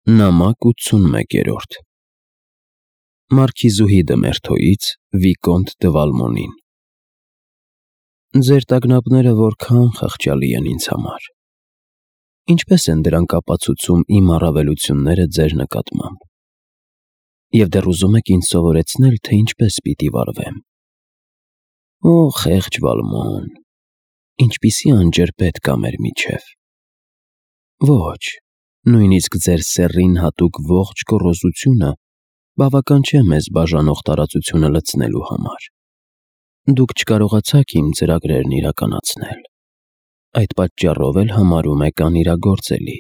Նամակ 81-րդ Մարքիզուհի դը Մերթոյից Վիկոնտ դը Վալմոնին։ Ձեր տագնապները որքան խղճալի են ինձ համար։ Ինչպես են դրանք ապացուցում իմ առավելությունները ձեր նկատմամբ։ Եվ դեռ ուզում եք ինձ սովորեցնել, թե ինչպես պիտի վարվեմ։ Օ, խեղճ Վալմոն, ինչպիսի անջրպետ կա մեր միջև։ Ոչ, նույնիսկ ձեր սեռին հատուկ ողջ գոռոզությունը բավական չէ մեզ բաժանող տարածությունը լցնելու համար։ Դուք չկարողացաք իմ ծրագրերն իրականացնել։ Այդ պատճառով էլ համարում եք անիրագործելի։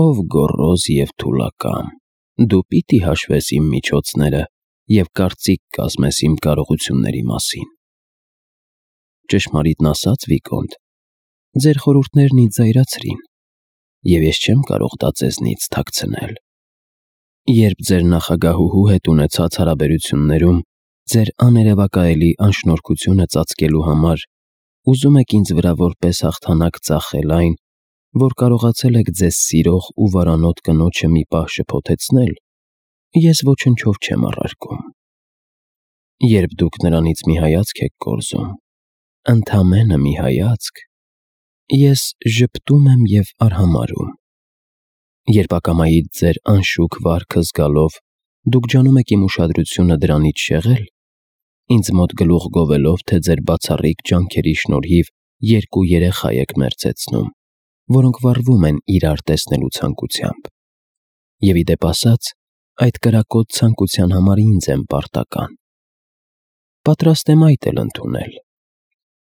Ով գոռոզ և թուլակամ, դու պիտի հաշվես իմ միջոցները և կարծիք կազմես իմ կարողությունների մասին։ Ճշմարիտն ասած, Վիկոնտ, ձեր խորհուրդներն ինձ զայրացրին, և ես չեմ կարող դա ձեզնից թաքցնել։ Երբ ձեր նախագահուհու հետ ունեցած հարաբերություններում ձեր աներևակայելի անշնորհքությունը ծածկելու համար ուզում եք ինձ վրա որպես հաղթանակ ծախել այն, որ կարողացել եք ձեզ սիրող ու վարանոտ կնոջը մի պահ շփոթեցնել, ես ոչնչով չեմ առարկում։ Երբ դուք նրանից մի հայացք եք կորզում, ընդամենը մի հայացք, ես ժպտում եմ և արհամարհում։ Երբ ակամայից ձեր անշուք վարքը զգալով դուք ջանում եք իմ ուշադրությունը դրանից շեղել, ինձ մոտ գլուխ գովելով, թե ձեր բացառիկ ջանքերի շնորհիվ երկու երեխա եք մերձեցնում, որոնք վառվում են իրար տեսնելու ցանկությամբ։ Եվ ի դեպ ասած, այդ կրակոտ ցանկության համար ինձ եմ պարտական։ Պատրաստ եմ այդ էլ ընդունել։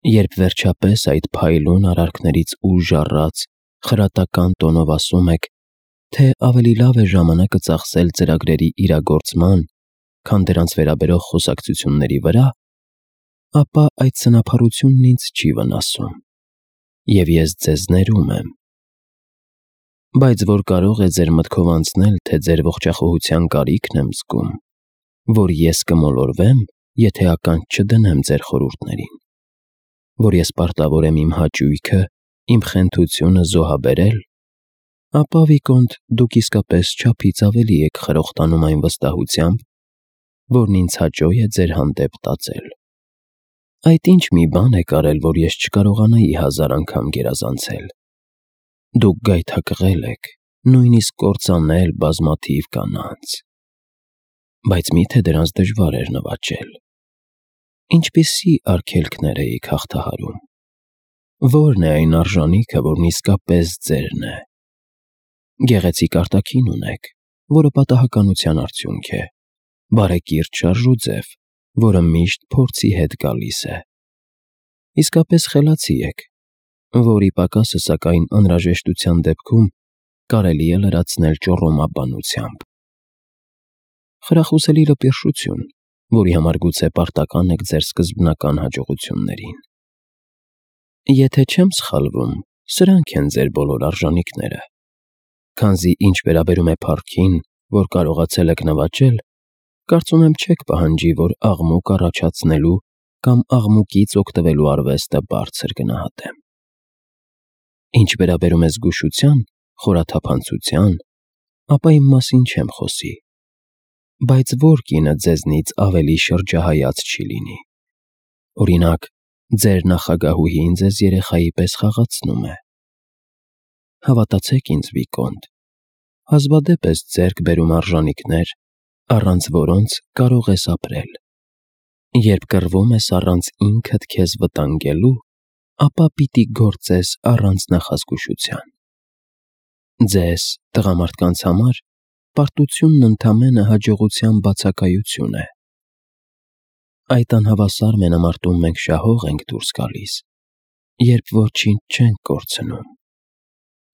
Երբ վերջապես այդ փայլուն արարքներից ուժ առած, խրատական տոնով ասում եք, թե ավելի լավ է ժամանակը ծախսել ծրագրերի իրագործման, քան դրանց վերաբերող խոսակցությունների վրա, ապա այդ սնափառությունն ինձ չի վնասում, և ես ձեզ ներում եմ։ Բայց որ կարող է ձեր մտքով անցնել, թե ձեր ողջախոհության կարիքն եմ զգում, որ ես կմոլորվեմ, եթե ականջ չդնեմ ձեր խորհուրդներին, որ ես պարտավոր եմ իմ հաճույքը, իմ խենթությունը զոհաբերել, ապա, Վիկոնտ, դուք իսկապես չափից ավելի եք խրոխտանում այն վստահությամբ, որն ինձ հաճո է ձեր հանդեպ տածել։ Այդ ինչ մի բան եք արել, որ ես չկարողանայի 1000 անգամ գերազանցել։ Դուք գայթակղել եք, նույնիսկ կործանել բազմաթիվ կանանց։ Բայց միթե դրանց դժվար էր նվաճել։ Ինչպիսի արգելքներ էիք հաղթահարում։ Ո՞րն է այն արժանիքը, որն իսկապես ձերն է։ Գեղեցիկ արտաքին ունեք, որը պատահականության արդյունք է, բարեկիրթ շարժուձև, որը միշտ փորձի հետ գալիս է։ Իսկապես խելացի եք, որի պակասը, սակայն, անհրաժեշտության դեպքում կարելի է լրացնել ճոռոմաբանությամբ։ Խրախուսելի լպիրշություն, որի համար գուցե պարտական եք ձեր սկզբնական հաջողություններին։ Եթե չեմ սխալվում, սրանք են ձեր բոլոր արժանիքները, քանզի ինչ վերաբերում է փառքին, որ կարողացել եք նվաճել, կարծում եմ չեք պահանջի, որ աղմուկ առաջացնելու կամ աղմուկից օգտվելու արվեստը բարձր գնահատեմ։ Ինչ վերաբերում է զգուշության, խորաթափանցության, ապա իմ մասին չեմ խոսի, բայց որ կինը ձեզնից ավելի շրջահայաց չի լինի։ Օրինակ, ձեր նախագահուհին ձեզ երեխայի պես խաղացնում է։ Հավատացեք ինձ, Վիկոնտ, հազվադեպ ես ձեռք բերում արժանիքներ, առանց որոնց կարող ես ապրել։ Երբ կռվում ես առանց ինքդ քեզ վտանգելու, ապա պիտի գործես առանց նախազգուշության։ Ձեզ, տղամարդկանց համար, պարտությունն ընդամենը հաջողության բացակայություն է։ Այդ անհավասար մենամարտում մենք շահող ենք դուրս գալիս, երբ ոչինչ չենք կորցնում,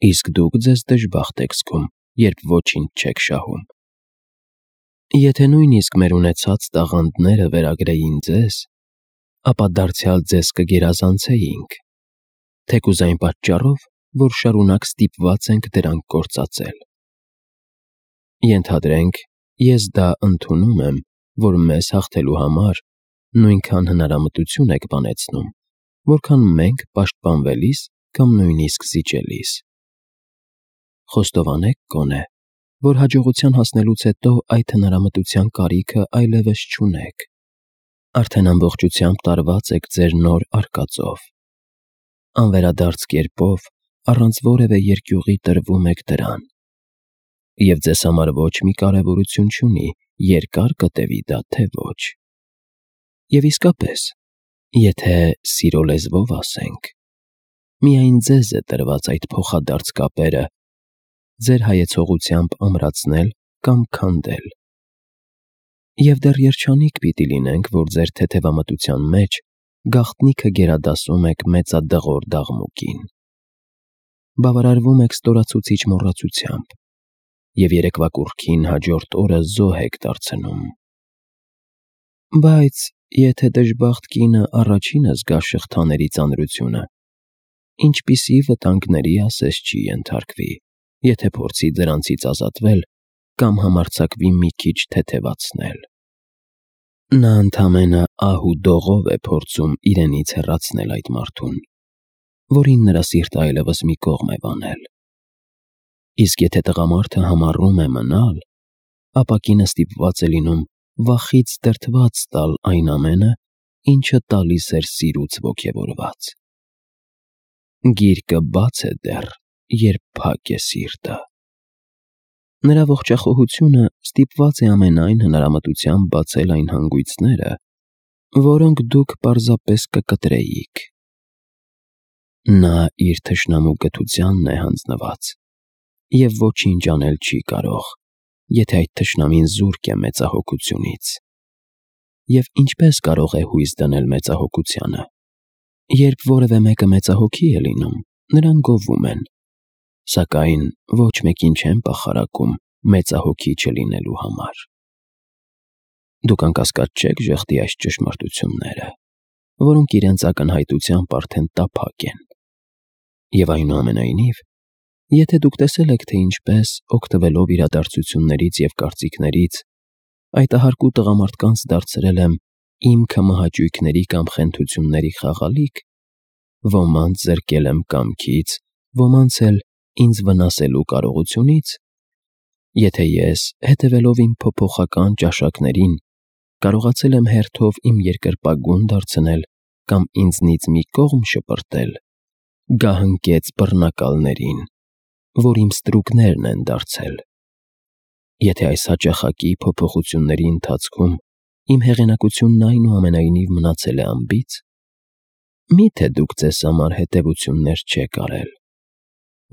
իսկ դուք ձեզ դժբախտ եք զգում, երբ ոչինչ չեք շահում։ Եթե նույնիսկ մեր ունեցած տաղանդները վերագրեին ձեզ, ապա դարձյալ ձեզ կգերազանցեինք, թեկուզ այն պատճառով, որ շարունակ ստիպված ենք դրանք գործածել։ Ենթադրենք, ես դա ընդունում եմ, որ մեզ հաղթելու համար նույնքան հնարամտություն եք բանեցնում, որքան մենք պաշտպանվելիս կամ նույնիսկ զիջելիս։ Խոստովանեք գոնե, որ հաջողության հասնելուց հետո այդ հնարամտության կարիքը այլևս չունեք։ Արդեն ամբողջությամբ տարված եք ձեր նոր արկածով։ Անվերադարձ կերպով, առանց որևէ երկյուղի տրվում եք դրան։ Եվ ձեզ համար ոչ մի կարևորություն չունի երկար կտևի դա, թե ոչ։ Եվ իսկապես, եթե սիրո լեզվով ասենք, միայն ձեզ է տրված այդ փոխադարձ կապերը ձեր հայեցողությամբ ամրացնել կամ քանդել։ Եվ դեռ երջանիկ պիտի լինենք, որ ձեր թեթևամտության մեջ գաղտնիքը գերադասում եք մեծադղոր դաղմուկին։ Բավարարվում եք ստորացուցիչ մոռացությամբ և երեկվա կուռքին հաջորդ օրը զոհ եք դարձնում։ Բայց եթե դժբախտ կինը առաջինը զգա շղթաների ծանրությունը, ինչպիսի վտանգների ասես չի ենթարկվի, եթե փորձի դրանցից ազատվել կամ համարձակվի մի քիչ թեթևացնել։ Նա ընդամենը ահ ու դողով է փորձում իրենից հեռացնել այդ մարդուն, որին նրա սիրտը այլևս մի կողմ է վանել։ Իսկ եթե տղամարդը համառում է մնալ, ապա կինը ստիպված է լինում վախից դրդված տալ այն ամենը, ինչը տալիս էր սիրուց ոգևորված։ Գիրկը բաց է դեռ, երբ փակ է սիրտը։ Նրա ողջախոհությունը ստիպված է ամենայն հնարամտությամբ բացել այն հանգույցները, որոնք դուք պարզապես կկտրեիք։ Նա իր թշնամու կթությանն է հանձնված և ոչինչ անել չի կարող, եթե այդ թշնամին զուրկ է մեծահոգությունից։ Եվ ինչպես կարող է հույս դնել մեծահոգությանը։ Երբ որևէ մեկը մեծահոգի է լինում, նրան գովում են, սակայն ոչ մեկին չեն պախարակում մեծահոգի չլինելու համար։ Դուք անկասկած չեք ժխտի այս ճշմարտությունները, որոնք իրենց ակնհայտությամբ արդեն տափակ են։ Եվ այնուամենայնիվ, եթե դուք տեսել եք, թե ինչպես, օգտվելով իրադարձություններից և կարծիքներից, այդ ահարկու տղամարդկանց դարձրել եմ իմ քմահաճույքների կամ խենթությունների խաղալիք, ոմանց զրկել եմ կամքից, ոմանց էլ ինձ վնասելու կարողությունից, եթե ես, հետևելով իմ փոփոխական ճաշակներին, կարողացել եմ հերթով իմ երկրպագուն դարձնել կամ ինձնից մի կողմ շպրտել, գահընկեց բռնակալներին, որ իմ ստրուկներն են դարձել։ Եթե այս հաճախակի փոփոխությունների ընթացքում իմ հեղինակությունն այնուամենայնիվ մնացել է անբիծ, մի՞թե դուք ձեզ համար հետևություններ չեք արել,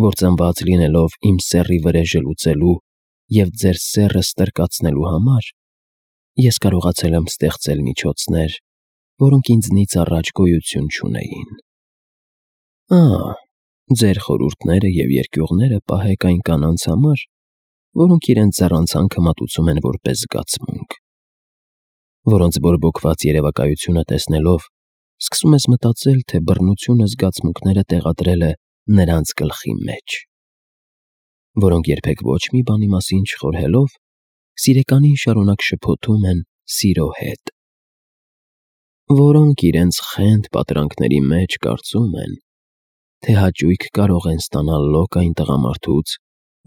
որ ծնված լինելով իմ սեռի վրեժը լուծելու և ձեր սեռը ստրկացնելու համար, ես կարողացել եմ ստեղծել միջոցներ, որոնք ինձնից առաջ գոյություն չունեին։ Ձեր խորհուրդները և երկյուղները պահեք այն կանանց համար, որոնք իրենց ձեռանցանքը մատուցում են որպես զգացմունք, որոնց բորբոքված երևակայությունը տեսնելով, սկսում ես մտածել, թե բռնությունը զգացմունքները տեղադրել է նրանց գլխի մեջ, որոնք երբեք ոչ մի բանի մասին չխորհելով, սիրեկանին շարունակ շփոթում են սիրո հետ, որոնք իրենց խենթ պատրանքների մեջ կարծում են, թե հաճույք կարող են ստանալ լոկ այն տղամարդուց,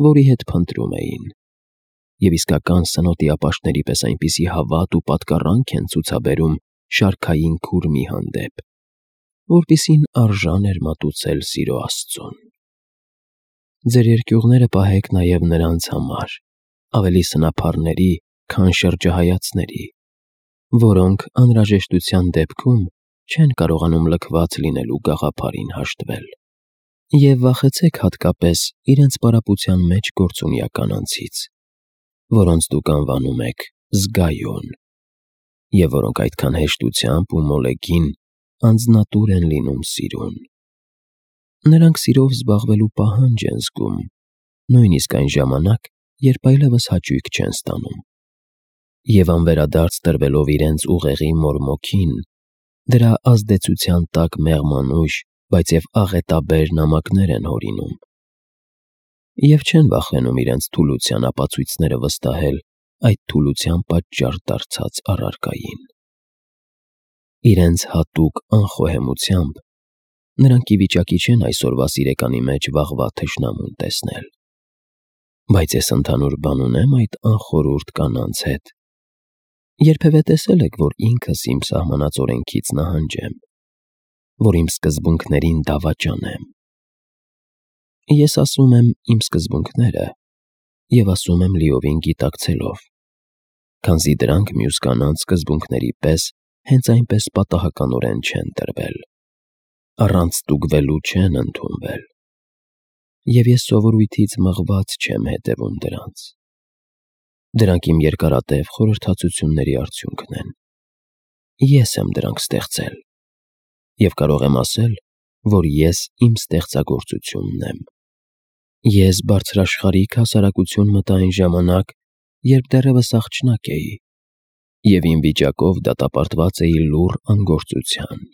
որի հետ փնտրում էին, և իսկական սնոտի ապաշտների պես այնպիսի հավատ ու պատկառանք են ցուցաբերում շարքային քուրմի հանդեպ, որպիսին արժան էր մատուցել սիրո աստծուն։ Ձեր երկյուղները պահեք նաև նրանց համար, ավելի սնափառների, քան շրջահայացների, որոնք անհրաժեշտության դեպքում չեն կարողանում լքված լինելու գաղափարին հաշտվել։ Եվ վախեցեք հատկապես իրենց պարապության մեջ գործունյա կանանցից, որոնց դուք անվանում եք զգայուն, և որոնք այդքան հեշտությամբ ու մոլեգին անձնատուր են լինում սիրուն։ Նրանք սիրով զբաղվելու պահանջ են զգում, նույնիսկ այն ժամանակ, երբ այլևս հաճույք չեն ստանում։ Եվ անվերադարձ տրվելով իրենց ուղեղի մորմոքին, դրա ազդեցության տակ մեղմանուժ, բայց և աղետաբեր նամակներ են հորինում։ Եվ չեն վախենում իրենց թուլության ապացույցները վստահել այդ թուլության պատճառ դարձած առարկային։ Իրենց հատուկ անխոհեմությամբ նրանք ի վիճակի չեն այսօրվա սիրեկանի մեջ վաղվա թշնամուն տեսնել։ Բայց ես ընդհանուր բան ունեմ այդ անխորուրդ կանանց հետ։ Երբևէ տեսել եք, որ ինքս իմ սահմանած օրենքից նահանջեմ, որ իմ սկզբունքներին դավաճանեմ։ Ես ասում եմ իմ սկզբունքները և ասում եմ լիովին գիտակցելով, քանզի դրանք մյուս կանանց սկզբունքների պես հենց այնպես պատահականորեն չեն տրվել, առանց ստուգվելու չեն ընդունվել, և ես սովորույթից մղված չեմ հետևում դրանց։ Դրանք իմ երկարատև խորհրդածությունների արդյունքն են։ Ես եմ դրանք ստեղծել, և կարող եմ ասել, որ ես իմ ստեղծագործությունն եմ։ Ես բարձրաշխարհիկ հասարակություն մտա այն ժամանակ, երբ դեռևս աղջնակ էի, և իմ վիճակով դատապարտված էի լուռ անգործության։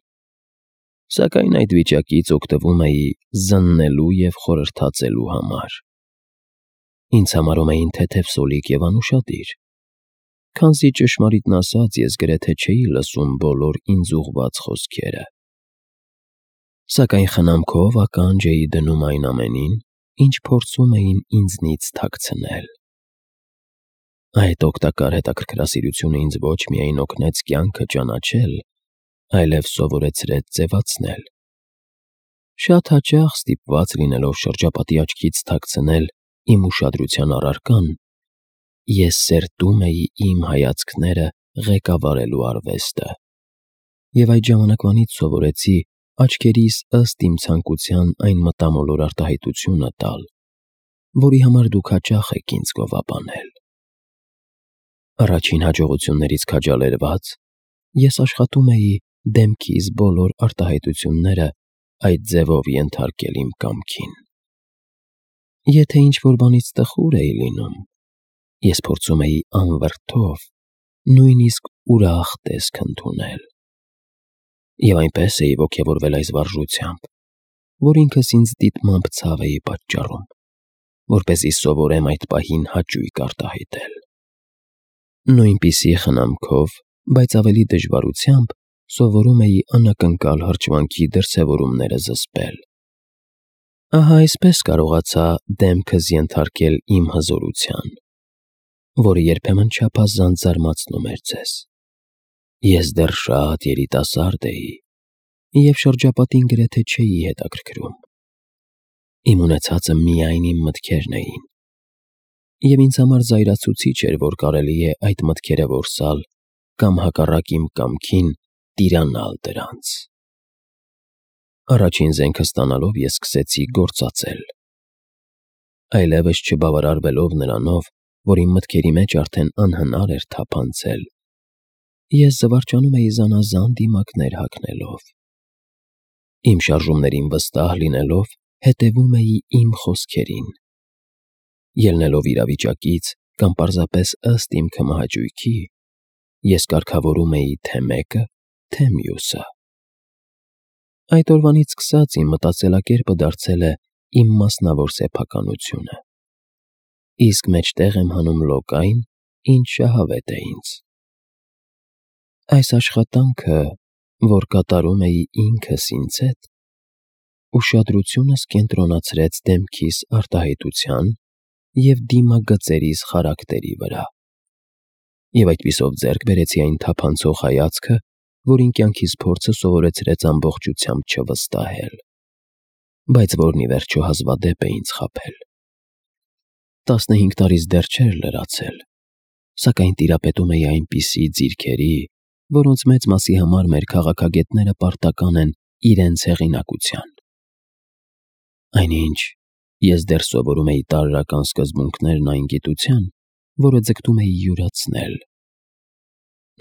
Սակայն այդ վիճակից օգտվում էի զննելու և խորհրդածելու համար։ Ինձ համարում էին թեթև սոլիկ և անուշադիր, քանզի ճշմարիտն ասած ես գրեթե չէի լսում բոլոր ինձ ուղղված խոսքերը։ Սակայն խնամքով ականջ էի դնում այն ամենին, ինչ փորձում էին ինձնից թաքցնել։ Այդ օգտակար հետաքրքրասիրությունը ինձ ոչ միայն օգնեց կյանքը ճանաչել, այլև սովորեցրեց ձևացնել։ Շատ հաճախ ստիպված լինելով շրջապատի աչքից թաքցնել իմ ուշադրության առարկան, ես սերտում էի իմ հայացքները ղեկավարելու արվեստը, և այդ ժամանակվանից սովորեցի աչքերիս ըստ իմ ցանկության այն մտամոլոր արտահայտությունը տալ, որի համար դուք հաճախ եք ինձ գովաբանել։ Առաջին հաջողություններից քաջալերված, ես աշխատում էի դեմքիս բոլոր արտահայտությունները այդ ձևով ենթարկել իմ կամքին։ Եթե ինչ-որ բանից տխուր էի լինում, ես փորձում էի անվրդով, նույնիսկ ուրախ տեսք ընդունել։ Եվ այնպես էի ոգևորվել այս վարժությամբ, որ ինքս ինձ դիտմամբ ցավ էի պատճառում, որպեսզի սովորեմ այդ պահին հաճույք արտահայտել։ Նույնպիսի խնամքով, բայց ավելի դժվարությամբ սովորում էի անակնկալ հրճվանքի դրսևորումները զսպել։ Ահա այսպես կարողացա դեմքս ենթարկել իմ հզորության, որը երբեմն չափազանց զարմացնում էր ձեզ։ Ես դեռ շատ երիտասարդ էի, և շրջապատին գրեթե չէի հետաքրքրում։ Իմ ունեցածը միայն իմ մտքերն էին, և ինձ համար զայրացուցիչ էր, որ կարելի է այդ մտքերը որսալ կամ հակառակ իմ կամքին տիրանալ դրանց։ Առաջին զենքը ստանալով ես սկսեցի գործածել։ Այլևս չբավարարվելով նրանով, որ իմ մտքերի մեջ արդեն անհնար էր թափանցել, ես զվարճանում էի զանազան դիմակներ հագնելով։ Իմ շարժումներին վստահ լինելով, հետևում էի իմ խոսքերին։ Ելնելով իրավիճակից կամ պարզապես ըստ իմ քմահաճույքի, ես կարգավորում էի թե մեկը, թե մյուսը։ Այդ օրվանից սկսած իմ մտածելակերպը դարձել է իմ մասնավոր սեփականությունը, իսկ մեջտեղ եմ հանում լոկային, ինչ շահավետ է ինձ։ Այս աշխատանքը, որ կատարում էի ինքս ինձ հետ, ուշադրությունս կենտրոնացրեց դեմքիս արտահայտության և դիմագծերիս խարակտերի վրա, և այդպիսով ձեռք բերեցի այն թափանցող հայացքը, որին կյանքիս փորձը սովորեցրեց ամբողջությամբ չվստահել, բայց որն ի վերջո հազվադեպ է ինձ խաբել։ 15 տարիս դեռ չէր լրացել, սակայն տիրապետում էի այնպիսի ձիրքերի, որոնց մեծ մասի համար մեր քաղաքագետները պարտական են իրենց հեղինակության։ Այնինչ, ես դեռ սովորում էի տարրական սկզբունքներն այն գիտության, որը ձգտում էի յուրացնել։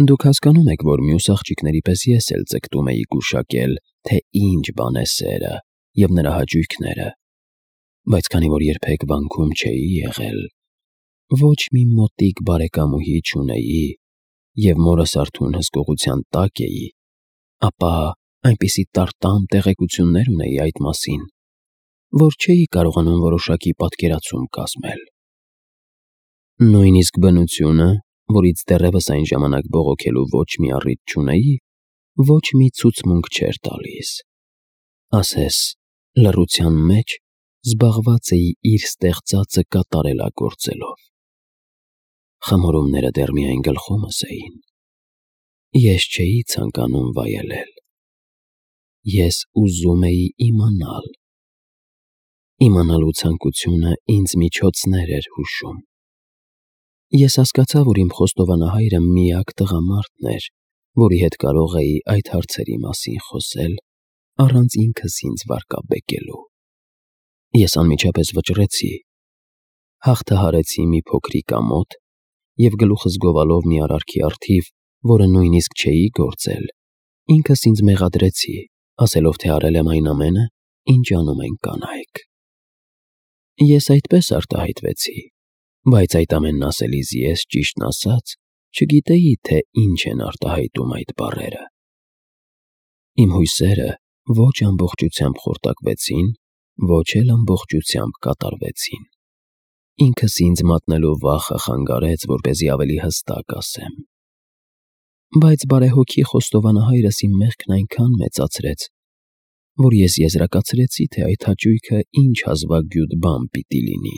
Դուք հասկանում եք, որ մյուս աղջիկների պես ես էլ ձգտում էի գուշակել, թե ինչ բան է սերը և նրա հաճույքները, բայց քանի որ երբեք վանքում չէի եղել, ոչ մի մոտիկ բարեկամուհի չունեի և մորս արթուն հսկողության տակ էի, ապա այնպիսի տարտամ տեղեկություններ ունեի այդ մասին, որ չէի կարողանում որոշակի պատկերացում կազմել։ Նույնիսկ բնությունը, որից դեռևս այն ժամանակ բողոքելու ոչ մի առիթ չունեի, ոչ մի ցուցմունք չէր տալիս։ Ասես լռության մեջ զբաղված էի իր ստեղծածը կատարելագործելով։ Խմորումները դեռ միայն գլխումս էին։ Ես չէի ցանկանում վայելել։ Ես ուզում էի իմանալ։ Իմանալու ցանկությունը ինձ միջոցներ էր հուշում։ Ես հասկացա, որ իմ խոստովանահայրը միակ տղամարդն էր, որի հետ կարող էի այդ հարցերի մասին խոսել, առանց ինքս ինձ վարկաբեկելու։ Ես անմիջապես վճռեցի, հաղթահարեցի մի փոքրիկ ամոթ և գլուխս գովալով մի արարքի առթիվ, որը նույնիսկ չէի գործել, ինքս ինձ մեղադրեցի, ասելով, թե արել եմ այն ամենը, ինչ անում են կանայք։ Ես այդպես արտահայտվեցի, բայց այդ ամենն ասելիս ես, ճիշտն ասած, չգիտեի, թե ինչ են արտահայտում այդ բառերը։ Իմ հույսերը ոչ ամբողջությամբ խորտակվեցին, ոչ էլ ամբողջությամբ կատարվեցին։ Ինքս ինձ մատնելու վախը խանգարեց, որպեսզի ավելի հստակ ասեմ։ Բայց բարեհոգի խոստովանահայրս իմ մեղքն այնքան մեծացրեց, որ ես եզրակացրեցի, թե այդ հաճույքը ինչ հազվագյուտ բան պիտի լինի,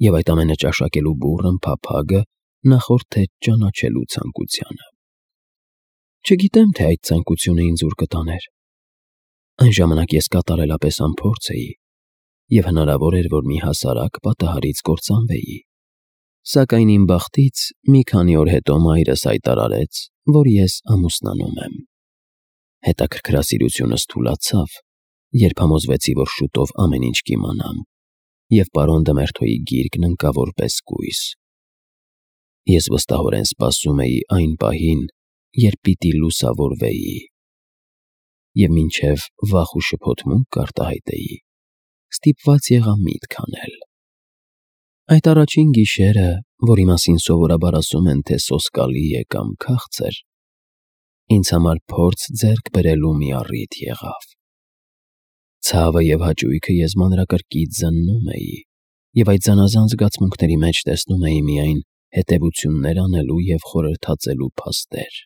և այդ ամենը ճաշակելու բուռն փափագը նախորդ թե ճանաչելու ցանկությանը։ Չգիտեմ, թե այդ ցանկությունը ինձ ուր կտաներ։ Այն ժամանակ ես կատարելապես անփորձ էի, և հնարավոր էր, որ մի հասարակ պատահարից կործանվեի։ Սակայն իմ բախտից մի քանի օր հետո մայրս հայտարարեց, որ ես ամուսնանում եմ։ Հետաքրքրասիրությունս թուլացավ, երբ համոզվեցի, որ շուտով ամեն ինչ կիմանամ, և պարոն Դմերթոյի գիրկն ընկա որպես կույս։ Ես վստահորեն սպասում էի այն պահին, երբ պիտի լուսավորվեի, և մինչև վախ ու շփոթմունք կարտահայտեի, ստիպված եղա միտք անել։ Այդ առաջին գիշերը, որի մասին սովորաբար ասում են, թե սոսկալի է կամ քաղցր, ինձ համար փորձ ձեռք բերելու մի առիթ եղավ։ Ցավը և հաճույքը ես մանրակրկիտ զննում էի, և այդ զանազան զգացմունքների մեջ տեսնում էի միայն հետևություններ անելու և խորհրդածելու փաստեր։